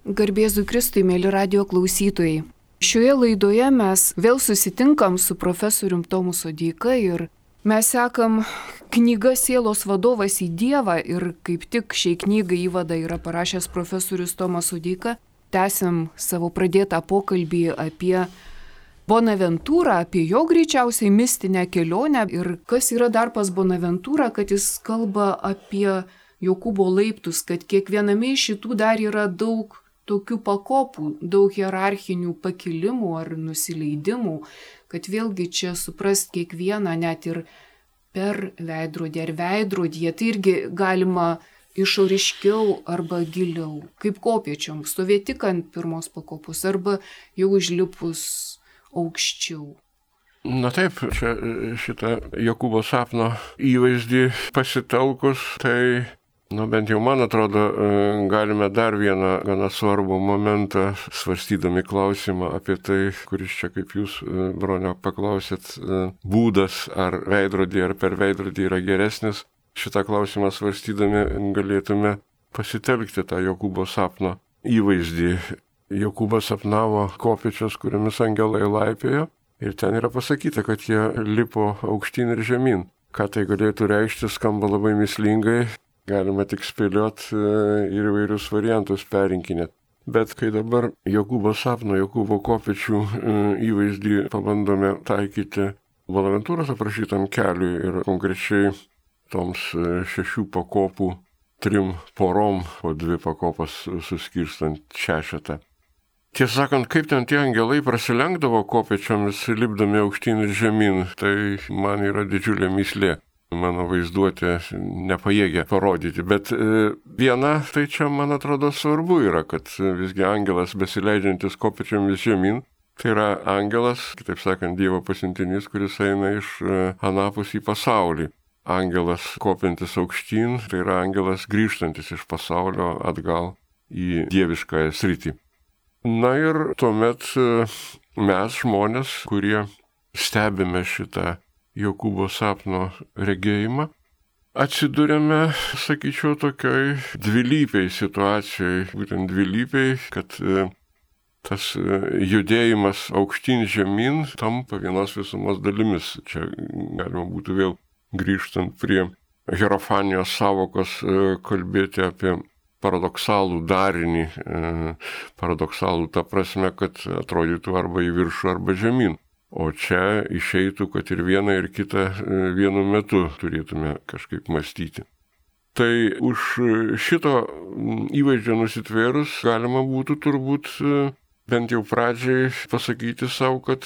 Garbėzui Kristui, mėly radio klausytojai. Šioje laidoje mes vėl susitinkam su profesorium Tomu Sodeika ir mes sekam knygą Sielos vadovas į Dievą ir kaip tik šiai knygai įvadą yra parašęs profesorius Tomas Sodeika. Tęsiam savo pradėtą pokalbį apie Bonaventūrą, apie jo greičiausiai mistinę kelionę ir kas yra dar pas Bonaventūrą, kad jis kalba apie Jokūbo laiptus, kad kiekviename iš šitų dar yra daug tokių pakopų, daug hierarchinių pakilimų ar nusileidimų, kad vėlgi čia suprast kiekvieną net ir per veidrodį ar veidrodyje, tai irgi galima išoriškiau arba giliau, kaip kopiečiom, stovėti tik ant pirmos pakopos arba jau užlipus aukščiau. Na taip, čia šitą Jokūbo sapno įvaizdį pasitelkus, tai bent jau man atrodo, galime dar vieną gana svarbų momentą, svarstydami klausimą apie tai, kuris čia, kaip jūs, Bronio, paklausėt, būdas ar veidrodį ar per veidrodį yra geresnis. Šitą klausimą svarstydami galėtume pasitelkti tą Jokūbo sapno įvaizdį. Jokūbas sapnavo kopėčias, kuriomis angelai laipiojo ir ten yra pasakyta, kad jie lipo aukštyn ir žemyn. Ką tai galėtų reikšti, skamba labai mįslingai. Galima tik spėliot ir įvairius variantus perinkinėt. Bet kai dabar Jokūbo sapno, Jokūbo kopėčių įvaizdį pabandome taikyti Bonaventūros aprašytam keliui ir konkrečiai toms 6 pakopų 3 porom, po 2 pakopas suskirstant 6. Tiesą sakant, kaip ten tie angelai prasilenkdavo kopėčiomis, lipdami aukštyn ir žemyn, tai man yra didžiulė mįslė. Mano vaizduotė nepajėgia parodyti, bet viena, tai čia man atrodo svarbu yra, kad visgi angelas besileidžiantis kopėčiomis žemyn, tai yra angelas, kitaip sakant, Dievo pasiuntinys, kuris eina iš anapus į pasaulį. Angelas kopiantis aukštyn, tai yra angelas grįžtantis iš pasaulio atgal į dieviškąją sritį. Na ir tuomet mes žmonės, kurie stebime šitą Jokūbo sapno regėjimą, atsidūrėme, sakyčiau, tokioj dvilypiai situacijai, būtent dvilypiai, kad tas judėjimas aukštyn žemyn tampa vienos visumos dalimis. Čia galima būtų vėl grįžtant prie hierofanijos savokos kalbėti apie paradoksalų darinį, paradoksalų ta prasme, kad atrodytų arba į viršų, arba žemyn. O čia išeitų, kad ir vieną ir kitą vienu metu turėtume kažkaip mąstyti. Tai už šito įvaizdžio nusitvėrus galima būtų turbūt bent jau pradžiai pasakyti savo, kad,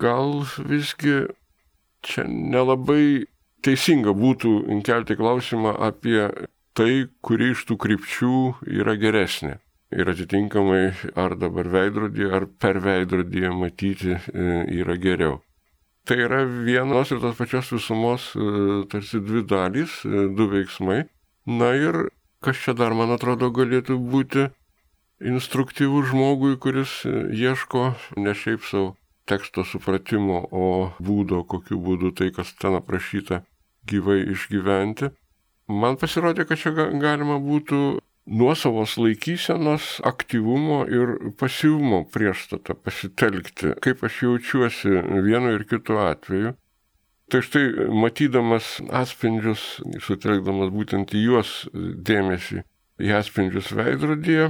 gal visgi čia nelabai teisinga būtų kelti klausimą apie tai, kuri iš tų krypčių yra geresnė. Ir atitinkamai ar dabar veidrodyje, ar per veidrodyje matyti yra geriau. Tai yra vienos ir tos pačios visumos tarsi 2 dalys, 2 veiksmai. Na ir kas čia dar, man atrodo, galėtų būti instruktyvus žmogui, kuris ieško ne šiaip savo teksto supratimo, o būdo, kokiu būdu tai, kas ten aprašyta, gyvai išgyventi. Man pasirodė, kad čia galima būtų nuosavos laikysenos, aktyvumo ir pasyvumo priešstatą pasitelkti, kaip aš jaučiuosi vienu ir kitu atveju. Tai štai, matydamas atspindžius, sutelkdamas būtent į juos dėmesį, į atspindžius veidrodyje,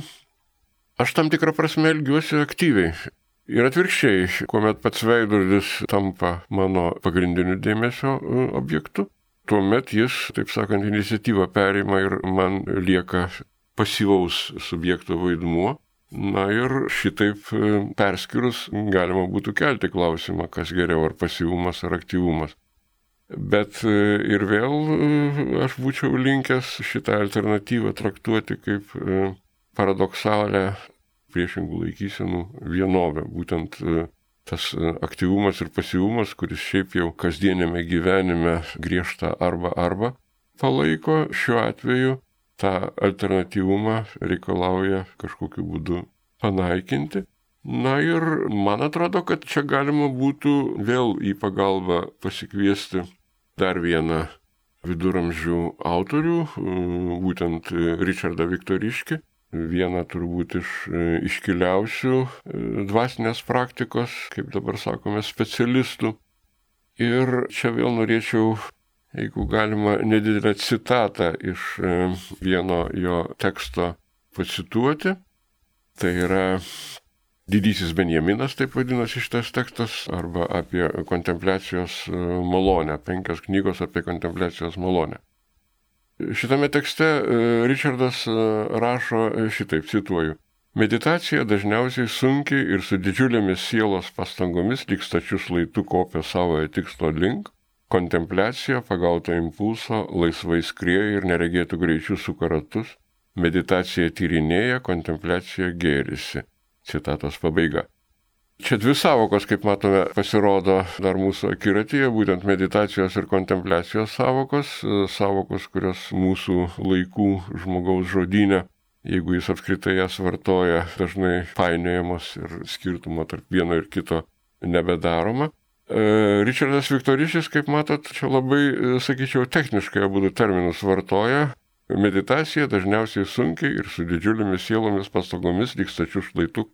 aš tam tikrą prasme elgiuosi aktyviai. Ir atvirkščiai, kuomet pats veidrodis tampa mano pagrindiniu dėmesio objektu, tuomet jis, taip sakant, iniciatyvą perima ir man lieka pasyvaus subjekto vaidmuo. Na ir šitaip perskirus galima būtų kelti klausimą, kas geriau, ar pasyvumas, ar aktyvumas. Bet ir vėl aš būčiau linkęs šitą alternatyvą traktuoti kaip paradoksalę priešingų laikysenų vienovę. Būtent tas aktyvumas ir pasyvumas, kuris šiaip jau kasdienėme gyvenime griežta arba palaiko, šiuo atveju tą alternatyvumą reikalauja kažkokiu būdu panaikinti. Na ir man atrodo, kad čia galima būtų vėl į pagalbą pasikviesti dar vieną viduramžių autorių, būtent Ričardą Viktoriškį, vieną turbūt iš iškiliausių dvasinės praktikos, kaip dabar sakome, specialistų. Ir čia vėl norėčiau, jeigu galima, nedidelę citatą iš vieno jo teksto pacituoti. Tai yra Didysis Benjaminas, taip vadinasi šitas tekstas, arba apie kontempliacijos malonę, 5 knygos apie kontempliacijos malonę. Šitame tekste Richardas rašo šitaip, cituoju: meditacija dažniausiai sunkiai ir su didžiulėmis sielos pastangomis lyg stačiu šlaitu kopia savojo tikslo link, kontempliacija pagauto impulso laisvai skrieja ir neregėtų greičių suka ratus, meditacija tyrinėja, kontempliacija gėrisi. Citatos pabaiga. Čia dvi savokos, kaip matome, pasirodo dar mūsų akiratyje, būtent meditacijos ir kontempliacijos savokos, kurios mūsų laikų žmogaus žodyne, jeigu jis apskritai jas vartoja, dažnai painiojamos ir skirtumo tarp vieno ir kito nebedaroma. Richardas Viktorišis, kaip matot, čia labai, sakyčiau, techniškai abudu terminus vartoja. Meditacija dažniausiai sunkiai ir su didžiulėmis sielomis pastangomis lyg stačiu šlaitu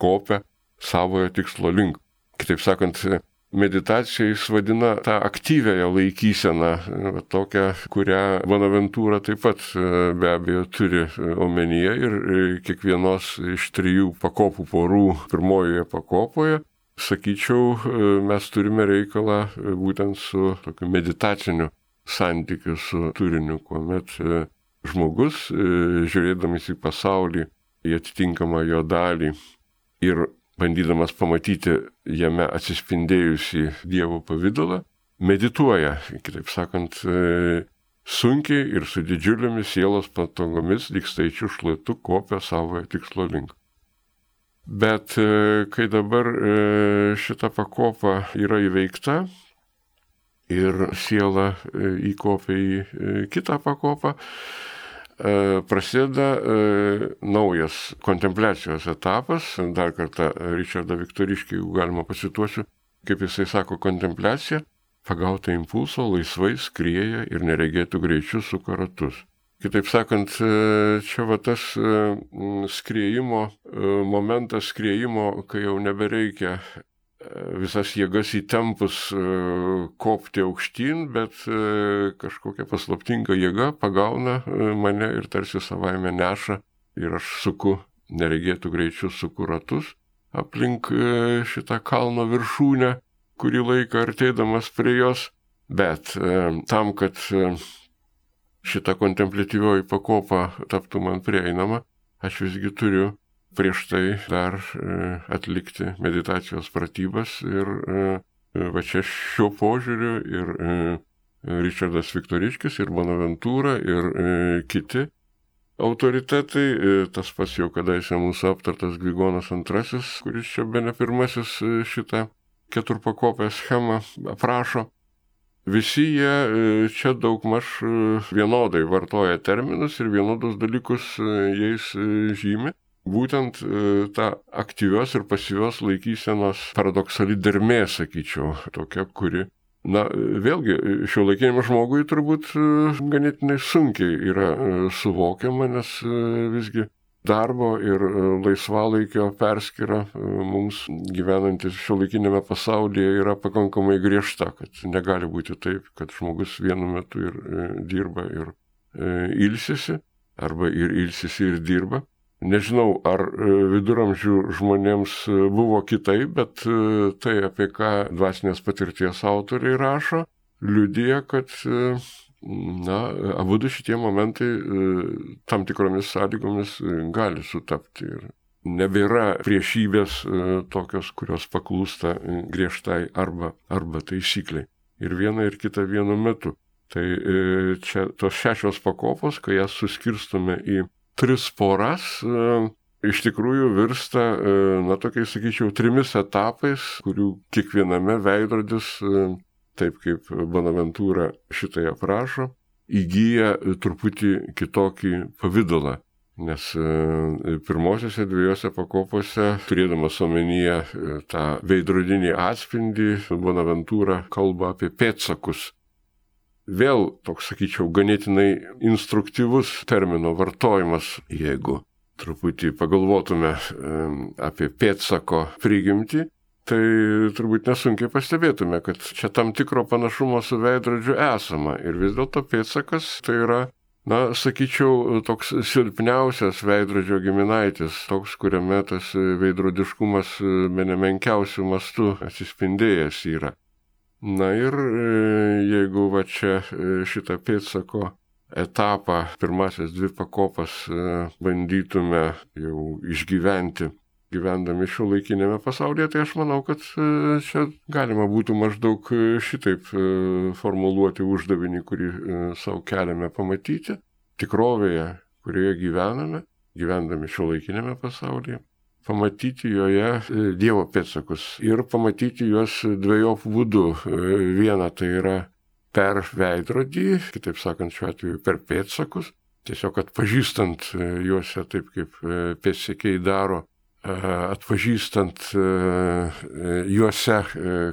kopia savojo tikslo link. Kitaip sakant, meditacija jis vadina tą aktyviąją laikyseną, tokią, kurią Bonaventūra taip pat be abejo turi omenyje ir kiekvienos iš 3 pakopų porų pirmojoje pakopoje, sakyčiau, mes turime reikalą būtent su tokiu meditaciniu santykiu su turiniu, kuomet žmogus, žiūrėdamas į pasaulį, į atitinkamą jo dalį ir bandydamas pamatyti jame atsispindėjusį Dievo pavydalą, medituoja, kitaip sakant, sunkiai ir su didžiulėmis sielos pastangomis lyg staičiu šlaitu kopia savojo tikslo link. Bet kai dabar šita pakopa yra įveikta ir siela įkopia į kitą pakopą, prasideda naujas kontempliacijos etapas. Dar kartą Richardą Viktoriškį, jeigu galima pacituosiu, kaip jisai sako, kontempliacija pagauta impulso laisvai skrieja ir neregėtų greičiu suka ratus. Kitaip sakant, čia va tas skriejimo momentas, kai jau nebereikia visas jėgas įtempus kopti aukštyn, bet kažkokia paslaptinga jėga pagauna mane ir tarsi savaime neša ir aš suku, neregėtų greičiu suku ratus aplink šitą kalno viršūnę, kurį laiką artėdamas prie jos, bet tam, kad šita kontempliatyvioji pakopa taptų man prieinama, aš visgi turiu prieš tai dar atlikti meditacijos pratybas ir va čia šiuo požiūriu ir Richardas Viktoriškis, ir Bonaventūra, ir kiti autoritetai, tas pats jau kadaise mūsų aptartas Grigonas II, kuris čia bene pirmasis šitą 4-pakopę schemą aprašo, visi jie čia daugmaž vienodai vartoja terminus ir vienodus dalykus jais žymi. Būtent ta aktyvios ir pasyvios laikysenos paradoksali dermė, sakyčiau, tokia, kuri, vėlgi, šiuolaikiniam žmogui turbūt ganėtinai sunkiai yra suvokiama, nes visgi darbo ir laisvalaikio perskyra mums gyvenantis šiuolaikinėme pasaulyje yra pakankamai griežta, kad negali būti taip, kad žmogus vienu metu ir dirba ir ilsisi, arba ir ilsisi ir dirba. Nežinau, ar viduramžių žmonėms buvo kitaip, bet tai, apie ką dvasinės patirties autoriai rašo, liudija, kad abudu šitie momentai tam tikromis sąlygomis gali sutapti. Ir nebėra priešybės tokios, kurios paklūsta griežtai arba taisykliai. Ir viena ir kita vienu metu. Tai čia tos 6 pakopos, kai jas suskirstome į 3 poras, iš tikrųjų virsta, tokiais, sakyčiau, 3 etapais, kurių kiekviename veidrodis, taip kaip Bonaventūra šitai aprašo, įgyja truputį kitokį pavydalą. Nes pirmosiose 2 pakopose, turėdamas omenyje tą veidrodinį atspindį, Bonaventūra kalba apie pėdsakus. Vėl toks, sakyčiau, ganėtinai instruktyvus termino vartojimas, jeigu truputį pagalvotume apie pėdsako prigimtį, tai turbūt nesunkiai pastebėtume, kad čia tam tikro panašumo su veidrodžiu esama. Ir vis dėlto pėdsakas tai yra, sakyčiau, toks silpniausias veidrodžio giminaitis, toks, kuriame tas veidrodiškumas menemenkiausių mastų atsispindėjęs yra. Na ir jeigu va čia šitą pėdsako etapą, pirmasias 2 pakopas bandytume jau išgyventi, gyvendami šiuolaikinėme pasaulyje, tai aš manau, kad čia galima būtų maždaug šitaip formuluoti uždavinį, kurį savo keliame pamatyti tikrovėje, kurioje gyvendami šiuolaikinėme pasaulyje, pamatyti joje Dievo pėdsakus ir pamatyti juos dvejopų būdų. Viena tai yra per veidrodį, kitaip sakant, šiuo atveju per pėdsakus, tiesiog atpažįstant juose taip, kaip pėdsekiai daro, atpažįstant juose,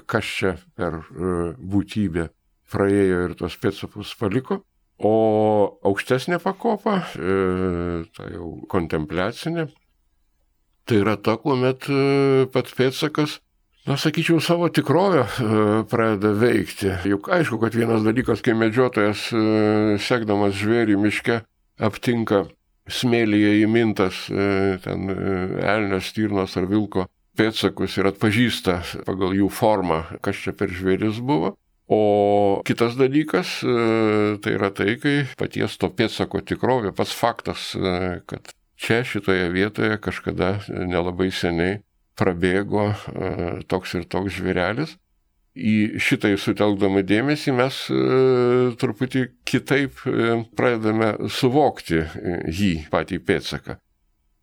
kas čia per būtybė praėjo ir tos pėdsakus paliko. O aukštesnė pakopa, ta jau kontempliacinė, tai yra ta, kuomet pats pėdsakas, sakyčiau, savo tikrovę pradeda veikti. Juk aišku, kad vienas dalykas, kai medžiotojas, sekdamas žvėrį miške, aptinka smėlyje įmintas ten elnio, stirnos ar vilko pėdsakus ir atpažįsta pagal jų formą, kas čia per žvėris buvo. O kitas dalykas tai yra tai, kai paties to pėdsako tikrovė, pats faktas, kad čia šitoje vietoje kažkada nelabai seniai prabėgo toks ir toks žvėrelis. Į šitai sutelkdami dėmesį mes truputį kitaip pradedame suvokti jį, patį pėdsaką.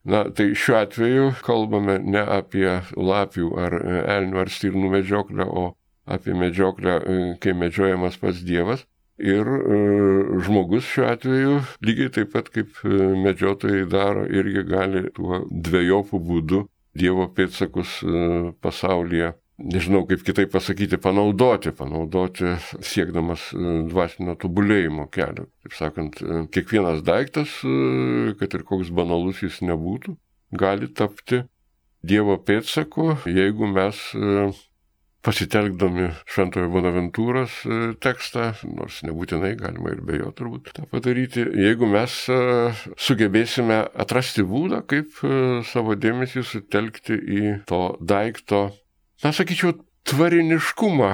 Tai šiuo atveju kalbame ne apie lapių ar elnių ar stirnų medžioklę, o apie medžioklę, kai medžiojamas pats Dievas. Ir žmogus šiuo atveju, lygiai taip pat kaip medžiotojai daro, irgi gali tuo dvejopų būdu Dievo pėdsakus pasaulyje, nežinau kaip kitaip pasakyti, panaudoti siekdamas dvasinio tobulėjimo kelio. Taip sakant, kiekvienas daiktas, kad ir koks banalus jis nebūtų, gali tapti Dievo pėdsaku, jeigu mes pasitelkdami Šventojo Bonaventūros tekstą, nors nebūtinai galima ir be jo turbūt tą padaryti, jeigu mes sugebėsime atrasti būdą, kaip savo dėmesį sutelkti į to daikto, sakyčiau, tvariniškumą,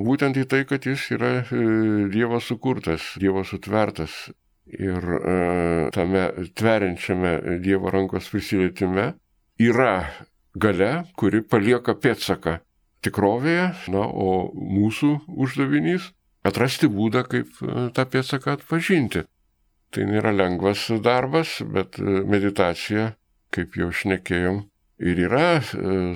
būtent į tai, kad jis yra Dievo sukurtas, Dievo sutvertas. Ir tame tveriančiame Dievo rankos prisilietime yra galia, kuri palieka pėdsaką tikrovėje, o mūsų uždavinys atrasti būdą, kaip tą pėdsaką atpažinti. Tai nėra lengvas darbas, bet meditacija, kaip jau šnekėjom, ir yra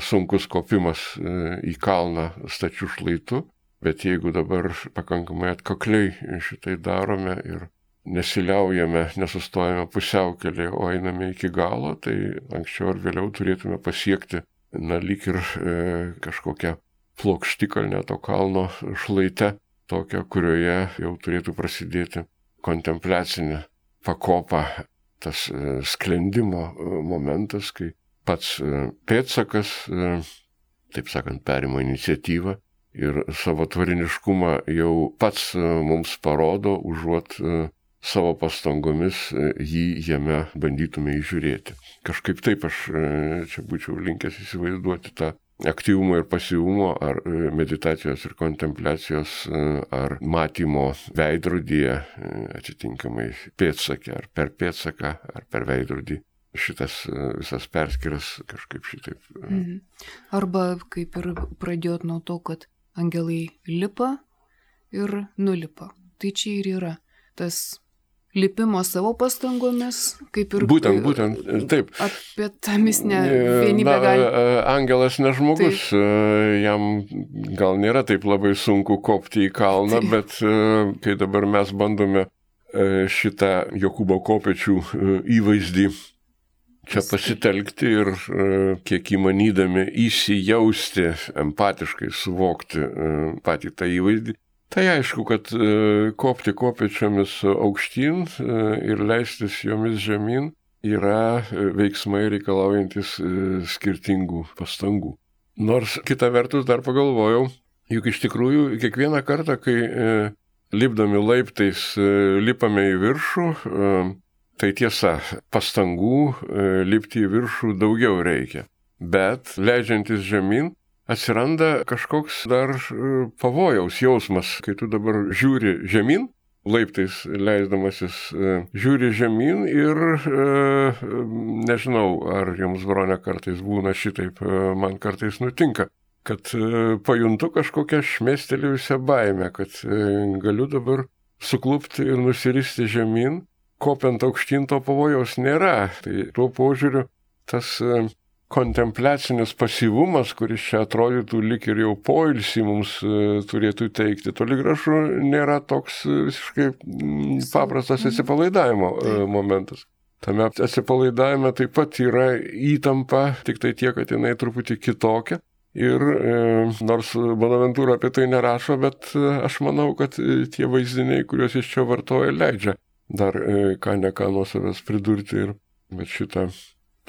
sunkus kopimas į kalną stačių šlaitų, bet jeigu dabar pakankamai atkakliai šitai darome ir nesiliaujame, nesustojame pusiaukelėje, o einame iki galo, tai anksčiau ar vėliau turėtume pasiekti, lyg ir kažkokią plokštikalnę to kalno šlaite, tokią, kurioje jau turėtų prasidėti kontempliacinė pakopa, tas sklendimo momentas, kai pats pėdsakas, taip sakant, perima iniciatyvą ir savo tvariniškumą jau pats mums parodo, užuot savo pastangomis jį jame bandytume įžiūrėti. Kažkaip taip aš čia būčiau linkęs įsivaizduoti tą aktyvumo ir pasyvumo, ar meditacijos ir kontempliacijos, ar matymo veidrodyje, atitinkamai pėdsake, ar per pėdsaką, ar per veidrodį. Šitas visas perskiras kažkaip šitaip. Arba kaip ir pradėjot nuo to, kad angelai lipa ir nulipa. Tai čia ir yra tas lipimo savo pastangomis, kaip ir... Būtent, taip. Apie tą mistinę vienybę gali... Angelas ne žmogus, taip. Jam gal nėra taip labai sunku kopti į kalną, taip. Bet kai dabar mes bandome šitą Jokūbo kopėčių įvaizdį čia pasitelkti ir kiek įmanydami įsijausti, empatiškai suvokti patį tą įvaizdį, tai aišku, kad kopti kopėčiomis aukštyn ir leistis jomis žemyn yra veiksmai reikalaujantis skirtingų pastangų. Nors kita vertus dar pagalvojau, juk iš tikrųjų kiekvieną kartą, kai lipdami laiptais lipame į viršų, tai tiesa, pastangų lipti į viršų daugiau reikia. Bet leidžiantis žemyn atsiranda kažkoks dar pavojaus jausmas, kai tu dabar žiūri žemyn, laiptais leisdamasis žiūri žemyn ir nežinau, ar jums, Bronė, kartais būna šitaip, man kartais nutinka, kad pajuntu kažkokią šmėstelėjusią baimę, kad galiu dabar suklupti ir nusiristi žemyn, kopiant aukštyn to pavojaus nėra. Tai tuo požiūriu tas kontempliacinis pasyvumas, kuris čia atrodytų lyg ir jau poilsį mums turėtų teikti, toli gražu nėra toks visiškai paprastas atsipalaidavimo momentas. Tame atsipalaidavime taip pat yra įtampa, tik tai tiek, kad jinai truputį kitokia. Ir nors Bonaventūra apie tai nerašo, bet aš manau, kad tie vaizdiniai, kuriuos jis čia vartoja, leidžia dar ką ne ką nuo savęs pridurti ir šitą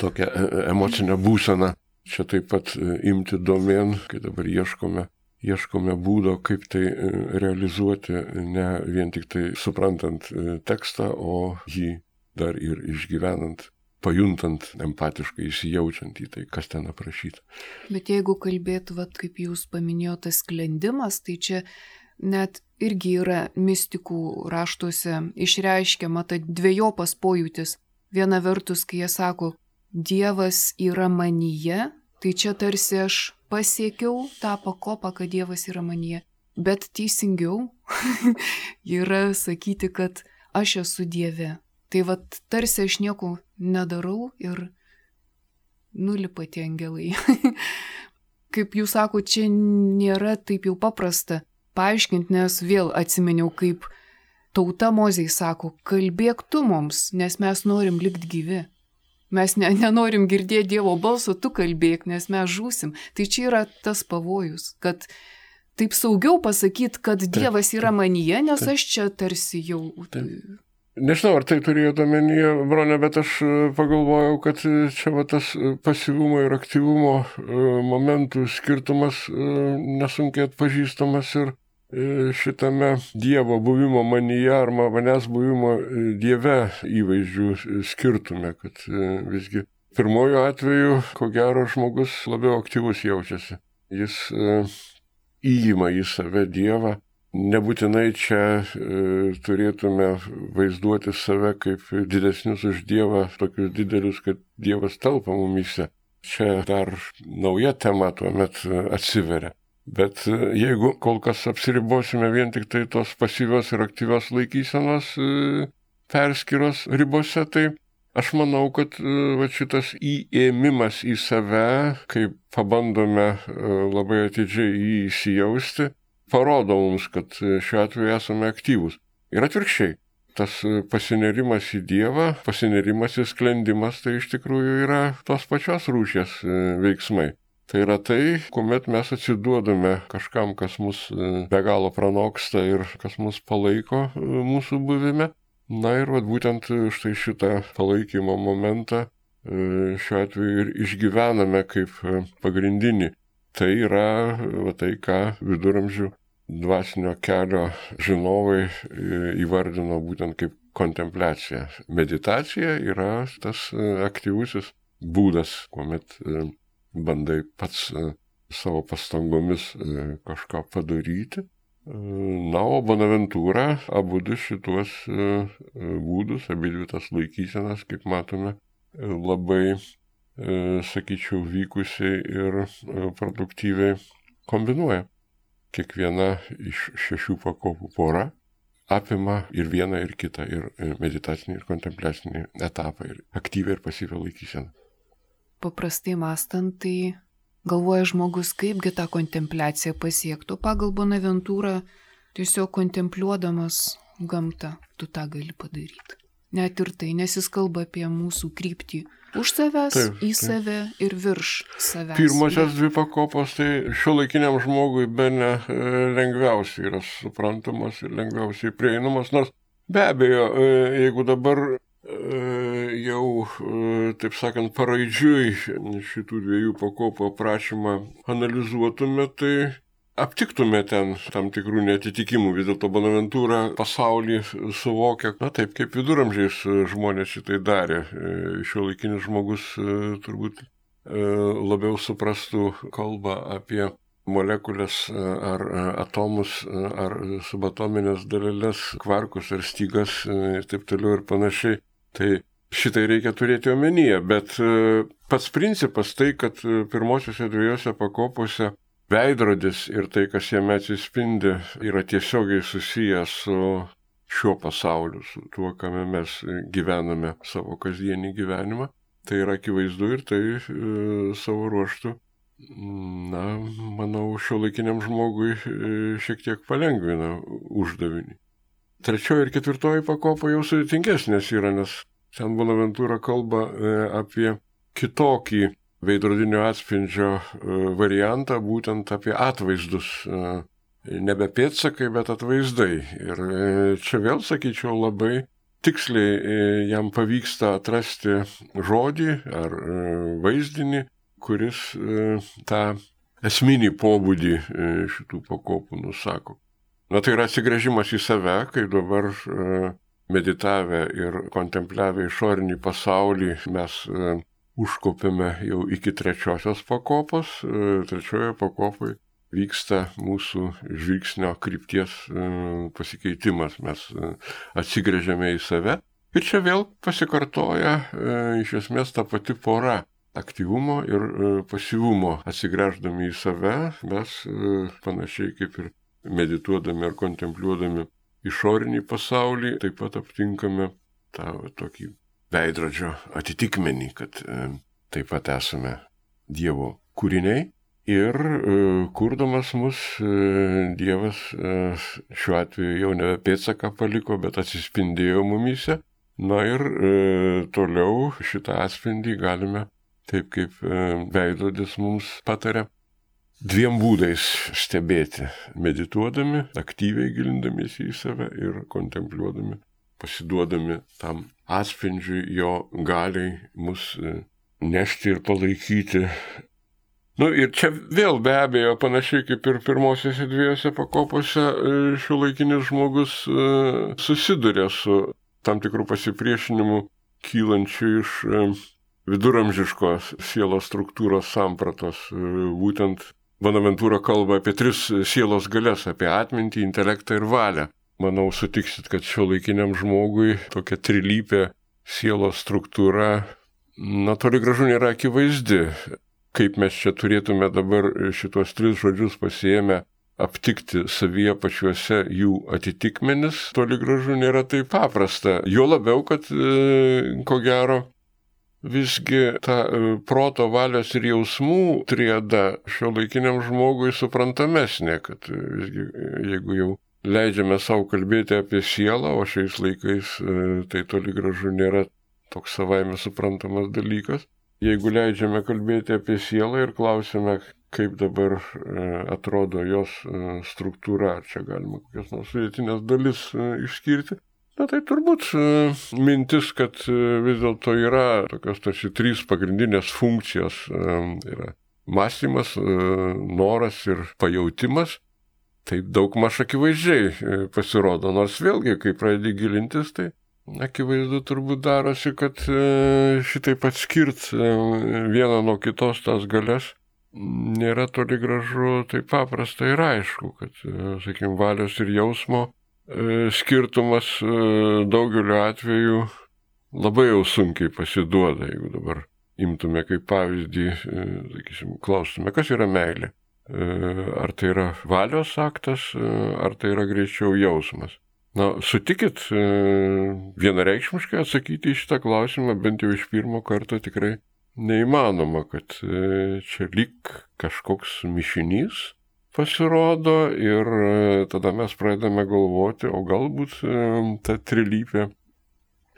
tokią emocinę būseną čia taip pat imti domėn, kai dabar ieškome būdo, kaip tai realizuoti, ne vien tik tai suprantant tekstą, o jį dar ir išgyvenant, pajuntant, empatiškai įsijaučiant į tai, kas ten aprašyta. Bet jeigu kalbėt, kaip jūs paminėjote, tas sklendimas, tai čia net irgi yra mistikų raštuose išreiškiama ta dvejopas pojūtis. Viena vertus, kai jie sako, Dievas yra manyje, tai čia tarsi aš pasiekiau tą pakopą, kad Dievas yra manyje. Bet teisingiau yra sakyti, kad aš esu Dieve. Tai tarsi aš nieko nedarau ir nulipa tie angelai. Kaip jūs sako, čia nėra taip jau paprasta paaiškinti, nes vėl atsiminiau, kaip tauta Mozei sako, kalbėk tu mums, nes mes norim likti gyvi. Mes nenorim girdėti Dievo balso, tu kalbėk, nes mes žūsim. Tai čia yra tas pavojus, kad taip saugiau pasakyti, kad Dievas yra manyje, nes aš čia tarsi jau... Nežinau, ar tai turėjo omenyje, Bronė, bet aš pagalvojau, kad čia tas pasyvumo ir aktyvumo momentų skirtumas nesunkiai atpažįstamas ir šitame Dievo buvimo manyje ar manęs buvimo Dieve įvaizdžių skirtume, kad visgi pirmoju atveju, ko gero, žmogus labiau aktyvus jaučiasi. Jis įima į save Dievą. Nebūtinai čia turėtume vaizduoti save kaip didesnius už Dievą, tokius didelius, kad Dievas telpa mumyse. Čia dar nauja tema tuomet atsiveria. Bet jeigu kol kas apsiribosime vien tik tai tos pasyvios ir aktyvios laikysenos perskyros ribose, tai aš manau, kad šitas įėmimas į save, kai pabandome labai atidžiai jį įsijausti, parodo mums, kad šiuo atveju esame aktyvūs. Ir atvirkščiai, tas pasinerimas į Dievą, pasinerimas į sklendimas, tai iš tikrųjų yra tos pačios rūšies veiksmai. Tai yra tai, kuomet mes atsiduodame kažkam, kas mus be galo pranoksta ir kas mus palaiko mūsų buvime. Na ir būtent štai šitą palaikymo momentą šiuo atveju ir išgyvename kaip pagrindinį. Tai yra tai, ką viduramžių dvasinio kelio žinovai įvardino būtent kaip kontempliacija. Meditacija yra tas aktyvusis būdas, kuomet bandai pats savo pastangomis kažką padaryti. Na, o Bonaventūra abudu šituos būdus, abidvi tas laikysenas, kaip matome, labai, sakyčiau, vykusiai ir produktyviai kombinuoja. Kiekviena iš 6 pakopų pora apima ir vieną, ir kitą, ir meditacinį, ir kontempliacinį etapą, ir aktyvią ir pasyvią laikyseną. Paprastai mąstant, tai galvoja žmogus, kaipgi tą kontempliaciją pasiektų. Pagal Bonaventūrą, tiesiog kontempliuodamas gamtą, tu tą gali padaryti. Net ir tai, nes jis kalba apie mūsų kryptį už savęs, į save ir virš savęs. Pirmosios 2 pakopos, tai šiuolaikiniam žmogui bene lengviausiai yra suprantamos ir lengviausiai prieinamos, nors be abejo, jeigu dabar jau, taip sakant, paraidžiui šitų dviejų pakopų aprašymą analizuotume, tai aptiktume ten tam tikrų netitikimų. Vis dėlto Bonaventūra pasaulį suvokia, taip kaip viduramžiais žmonės šitai darė. Šiuolaikinis žmogus turbūt labiau suprastų kalbą apie molekulės ar atomus, ar subatominės daleles, kvarkus ar stygas ir taip toliau ir panašiai. Tai šitai reikia turėti omenyje, bet pats principas tai, kad pirmosiuose dviejose pakopose veidrodis ir tai, kas jame atsispindi, yra tiesiogiai susijęs su šiuo pasauliu, su tuo, kame mes gyvename savo kasdienį gyvenimą. Tai yra akivaizdu ir tai savo ruožtu, manau, šiuolaikiniam žmogui šiek tiek palengvina uždavinį. Trečioji ir ketvirtoji pakopa jau sudėtingesnės yra, nes ten Bonaventūra kalba apie kitokį veidrodinio atspindžio variantą, būtent apie atvaizdus. Nebe pėdsakai, bet atvaizdai. Ir čia vėl, sakyčiau, labai tiksliai jam pavyksta atrasti žodį ar vaizdinį, kuris tą esminį pobūdį šitų pakopų nusako. Tai yra atsigręžimas į save, kai dabar meditavę ir kontempliavę išorinį pasaulį mes užkopėme jau iki trečiosios pakopos. Trečioje pakopoje vyksta mūsų žvilgsnio krypties pasikeitimas. Mes atsigręžiame į save. Ir čia vėl pasikartoja iš esmės ta pati pora aktyvumo ir pasyvumo. Atsigręždami į save, mes panašiai kaip ir medituodami ar kontempliuodami išorinį pasaulį, taip pat aptinkame tą tokį veidrodžio atitikmenį, kad taip pat esame Dievo kūriniai ir kurdamas mus Dievas šiuo atveju jau nebe pėdsaką paliko, bet atsispindėjo mumyse. Ir toliau šitą atspindį galime, taip kaip veidrodis mums pataria, dviem būdais stebėti: medituodami, aktyviai gilindamiesi į save ir kontempliuodami, pasiduodami tam atspindžiui, jo galiai mus nešti ir palaikyti. Ir čia vėl be abejo, panašiai kaip ir pirmosiose dviejose pakopose, šiuolaikinis žmogus susiduria su tam tikrų pasipriešinimų kylančių iš viduramžiškos sielos struktūros sampratos. Būtent Bonaventūra kalba apie 3 sielos galias, apie atmintį, intelektą ir valią. Manau, sutiksit, kad šiuolaikiniam žmogui tokia trilypė sielos struktūra, toli gražu nėra akivaizdi. Kaip mes čia turėtume dabar šitos 3 žodžius pasiėmę aptikti savyje pačiuose jų atitikmenis, toli gražu nėra taip paprasta. Jo labiau, kad ko gero visgi ta proto, valios ir jausmų triada šiuolaikiniam žmogui suprantamesnė, kad visgi jeigu jau leidžiame savo kalbėti apie sielą, o šiais laikais tai toli gražu nėra toks savaime suprantamas dalykas. Jeigu leidžiame kalbėti apie sielą ir klausime, kaip dabar atrodo jos struktūra, ar čia galima kokias nors sudėtinės dalis išskirti, tai turbūt mintis, kad vis dėlto yra tokios tarsi 3 pagrindinės funkcijos. Yra mąstymas, noras ir pajautimas. Taip daugmaž akivaizdžiai pasirodo, nors vėlgi, kai pradedi gilintis, tai akivaizdu turbūt darosi, kad šitaip atskirt vieną nuo kitos tas galias nėra toli gražu taip paprasta ir aišku, kad, sakykime, valios ir jausmo skirtumas daugeliu atveju labai jau sunkiai pasiduoda. Jeigu dabar imtume kaip pavyzdį, sakysim, klaustume, kas yra meilė? Ar tai yra valios aktas, ar tai yra greičiau jausmas? Sutikit vienareikšmiškai atsakyti į šitą klausimą, bent jau iš pirmo karto tikrai neįmanoma, kad čia lyg kažkoks mišinys pasirodo ir tada mes pradedame galvoti, o galbūt ta trilypė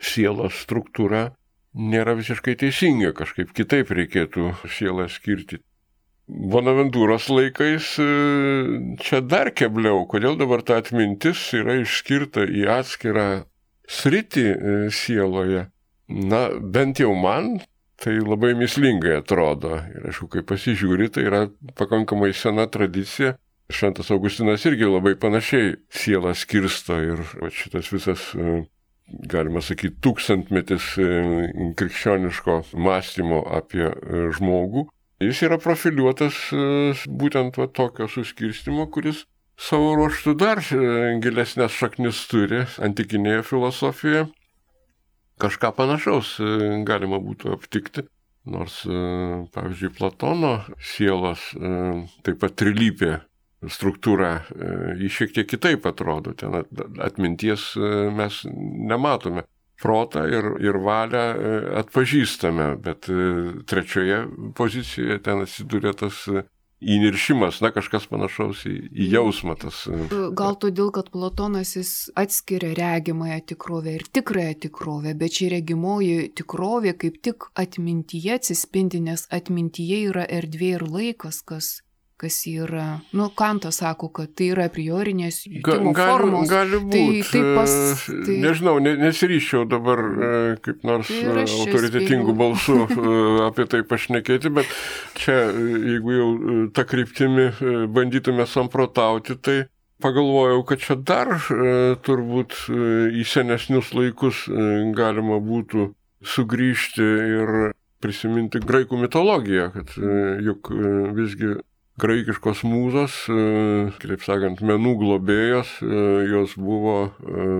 sielos struktūra nėra visiškai teisinga, kažkaip kitaip reikėtų sielą skirti. Bonaventūros laikais čia dar kebliau, kodėl dabar ta atmintis yra išskirta į atskirą sritį sieloje, Na, bent jau man tai labai mįslingai atrodo. Ir aišku, kai pasižiūri, tai yra pakankamai sena tradicija. Šventas Augustinas irgi labai panašiai sielą skirsto ir šitas visas, galima sakyti, tūkstantmetis krikščioniško mąstymo apie žmogų. Jis yra profiliuotas būtent tokio suskirstimo, kuris savo ruožtu dar gilesnės šaknis turi antikinėje filosofijoje. Kažką panašaus galima būtų aptikti, nors, pavyzdžiui, Platono sielos taip pat trilypė struktūra, jį šiek tiek kitaip atrodo, ten atminties mes nematome. Protą ir valią atpažįstame, bet trečioje pozicijoje ten atsiduria tas įniršimas, kažkas panašaus į jausmą. Gal todėl, kad Platonas jis atskiria regimąją tikrovę ir tikrąją tikrovę, bet ši regimoji tikrovė kaip tik atmintyje atsispindi, nes atmintyje yra erdvė ir laikas, kas yra. Kantas sako, kad tai yra priorinės jutimo formos. Gali būti. Nežinau, nesiryščiau dabar kaip nors autoritetingų balsų apie tai pašnekėti, bet čia, jeigu jau tą kryptimį bandytume samprotauti, tai pagalvojau, kad čia dar turbūt į senesnius laikus galima būtų sugrįžti ir prisiminti graikų mitologiją, kad juk visgi graikiškos mūzos, kitaip sakant, menų globėjos, jos buvo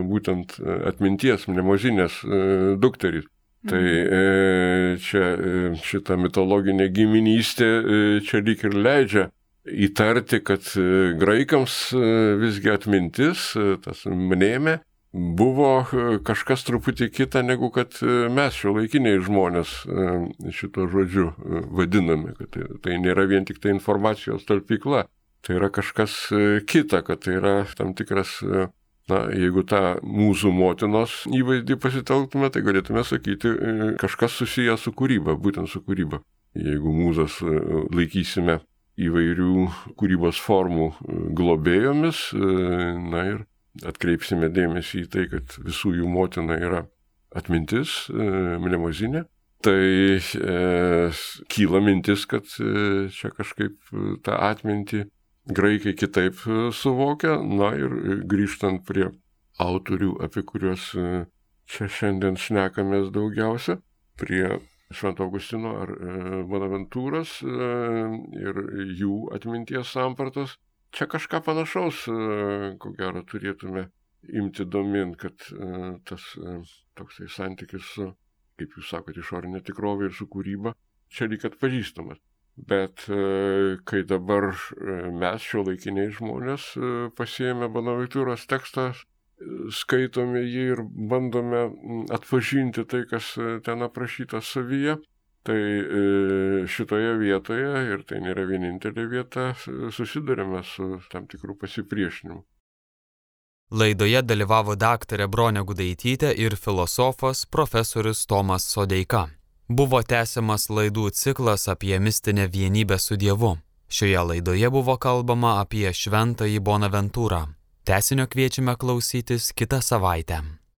būtent atminties mnemozinės dukterys. Tai čia šita mitologinė giminystė čia lyg ir leidžia įtarti, kad graikams visgi atmintis, tas mnėmė, buvo kažkas truputį kita, negu kad mes šiuolaikiniai žmonės šito žodžiu vadiname, kad tai nėra vien tik tai informacijos talpykla, tai yra kažkas kita, kad tai yra tam tikras, jeigu tą mūsų motinos įvaizdį pasitelktume, tai galėtume sakyti kažkas susijęs su kūryba, būtent su kūryba. Jeigu mūzas laikysime įvairių kūrybos formų globėjomis, ir atkreipsime dėmesį į tai, kad visų jų motina yra atmintis, mnemozinė, tai kyla mintis, kad čia kažkaip tą atmintį graikai kitaip suvokia. Ir grįžtant prie autorių, apie kuriuos čia šiandien šnekamės daugiausia, prie Švento Augustino ar Bonaventūros ir jų atminties sampratos, čia kažką panašaus, ko gero, turėtume imti domėn, kad tas toksai santykis su, kaip jūs sakote, išorinė tikrovė ir su kūryba, čia lyg atpažįstamas. Bet kai dabar mes šiuolaikiniai žmonės pasiėmę Bonaventūros tekstą, skaitome jį ir bandome atpažinti tai, kas ten aprašyta savyje, tai šitoje vietoje, ir tai nėra vienintelė vieta, susidurime su tam tikrų pasipriešinimu. Laidoje dalyvavo daktarė Bronė Gudaitytė ir filosofas profesorius Tomas Sodeika. Buvo tęsiamas laidų ciklas apie mistinę vienybę su Dievu. Šioje laidoje buvo kalbama apie šventąjį Bonaventūrą. Tęsinio kviečiame klausytis kitą savaitę.